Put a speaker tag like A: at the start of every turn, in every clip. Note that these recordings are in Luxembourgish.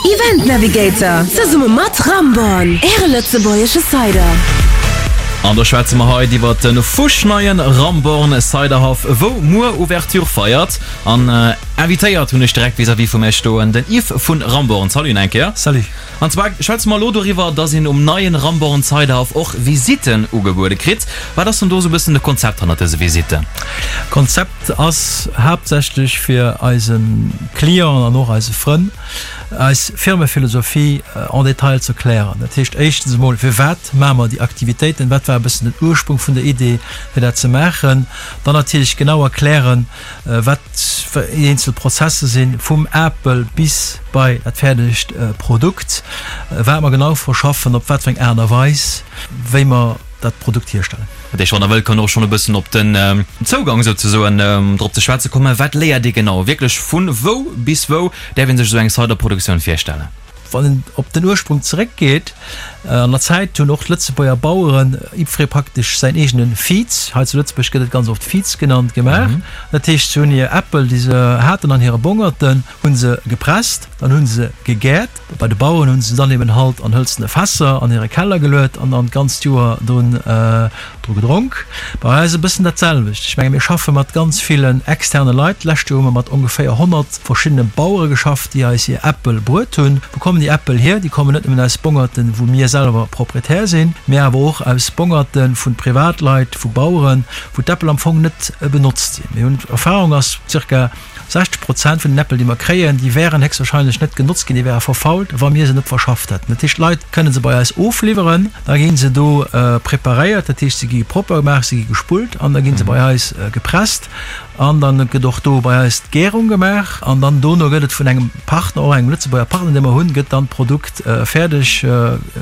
A: Event Navigator zesumme mat Ramborn, Äre lëtzebuergesche Cider.
B: An do schwätze mer haut iwwert de fuschneien Ramborn Ciderhaff, wou muer Ouverture feiert. An invitéiert hunn ech direkt vis-à-vis vu mär stoen den Yves vun Ramborn. Salut eng Kéier.
C: Salut.
B: An zwar schwätze mer elo doriwwer, dass een um neien Ramborn Ciderhaff och Visitten ugebuede kritt. Wat ass denn do esou e bëssen de Konzept hannert dëse Visitten?
C: Konzept ass haaptsächlech fir eise Clienten an och eise Frënn eis Firmephilosophie en détail ze erklären. Dat heescht éischtens emol, firwat maache mer déi Aktivitéiten, wat war e bëssen den Ursprung vun der Idee fir dat ze maachen, dann natierlech genau erklären, wat déi eenzel Prozesse sinn, vum Apel bis bei dat fäerdegt Produkt, wat mer genau verschaffen, op wat fir eng Aart a Weis, wéi mer dat Produkt hierstellen.
B: Dat heescht, wann Der wëllt, kann och schonn e bëssen op den Zougang souzesoen drop ze schwätze kommen. Wat léiert ee genau wierklech? Vu wou bis wou däerf ee sech esou eng Cider-Produktioun virstellen?
C: Wann een op den Ursprung zeréckgeet, an der Zäit hunn och d'Lëtzebuerger Baueren jiddweree praktesch säin eegene Viz, hei zu Lëtzebuerg gëtt et ganz oft Viz genannt, gemaach. Dat heescht, se hunn hir Äppel, déi se haten an hire Bongerten, hu se gepresst, dann hu se gegäert. Bei de Baueren hu se dann eben halt an hëlzene Fässer an hire Keller geluet an dann d'ganzt Joer drun dru gedronk. Bei eis e bëssen dat selwecht. Ech menge mir schaffe mat ganz villen externe Leit. D'lescht Joer hu mer mat ongeféier 100 verschiddene Bauere geschafft, déi eis hir Äppel bruet hunn. Wou kommen déi Äppel hier? Déi kommen net nëmmen aus Bongerten, wou mir selwer Proprietär sinn, mee awer och aus Bongerte vu Privatleit, vu Baueren, wou d'Äppel am Fong net benotzt sinn. Mir hunn, d'Erfahrung ass, zirka 60 Prozent vun den Äppel, déi mer kréien, déi wären héchstwahrscheinlech net genotzt ginn, déi wäre verfault, wa mir se net verschafft hätten. Dat heescht, d'Leit kënne se bei eis ofliwweren, da gi se do preparéiert, dat heescht, se gi propper gemaach, se gi gespullt an da gi se bei eis gepresst an dann gëtt och do bei eis d'Gärung gemaach an dann dono gëtt et vun engem Partner, och engem Lëtzebuerger Partner, dee mer hunn, gëtt dann d'Produkt fäerdeg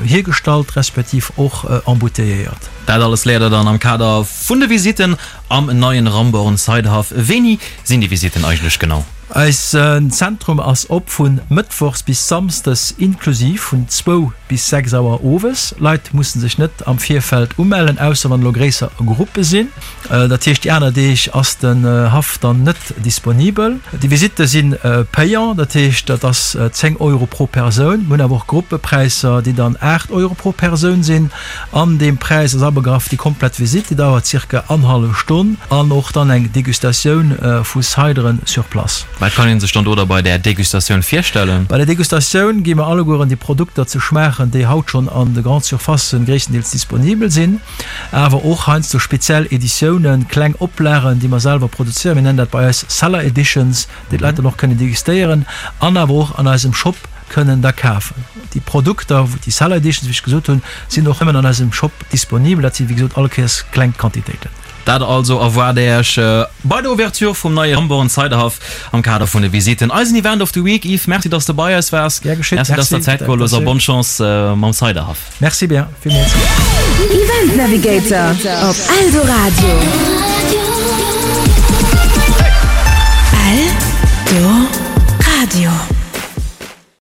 C: hiergestallt respektiv och embouteilléiert.
B: Dat alles léiert der dann am Kader vun de Visitten Am neien Ramborn Ciderhaff. Wéini sinn déi Visitten eigentlech genau?
C: Eisen Zentrum ass op vun Mëttwochs bis Samsdes inklusiv vun zwou bis 6 Auer owes. Leit mussen sech net am Virfeld umellen, ausser wann elo gréisser Gruppe sinn. Dat heescht déi aner Deeg ass den Haff dann net disponibel. Déi Visitte si payant, dat heescht dat ass 10 Euro pro Persoun. Mir hunn awer och Gruppepräisser déi dann 8 Euro pro Persoun sinn. An deem Präis ass abegraff déi komplett Visitt, déi dauert zirka annerhallef Stonn, an och dann eng Degustatioun vu Cideren sur place.
B: Wat kann een sech dann do da bei där Degustatioun virstellen?
C: Bei der Degustatioun gi mer allegueren déi Produkter ze schmaachen, déi haut schonn an de Grande Surfacen gréisstendeels disponibel sinn, awer och heiansdo speziell Editiounen, kleng Oplagen, déi mer selwer produzéieren. Mir nennen dat bei eis Cellar Editions, déi d'Leit dann och kënnen degustéieren an awer och an eisem Shop kënnen da kafen. Déi Produkter, déi Cellar Editions, wéi ech gesot hunn, sinn och nëmmen an eisem Shop disponibel. Dat si wéi gesot all Kéiers kleng Quantitéiten.
B: Dat also erwaart Äech bei der Ouverture vum neie Ramborn Ciderhaff am Kader vun de Visitten. Eisen Event of the Week. Yves, Merci, dass de bei eis waars.
C: Gär geschétt.
B: Merci, dass de der Zäit geholl hues a bonne Chance mam Ciderhaff.
C: Merci bien, villmools.
A: Event Navigator op Eldoradio. Eldoradio.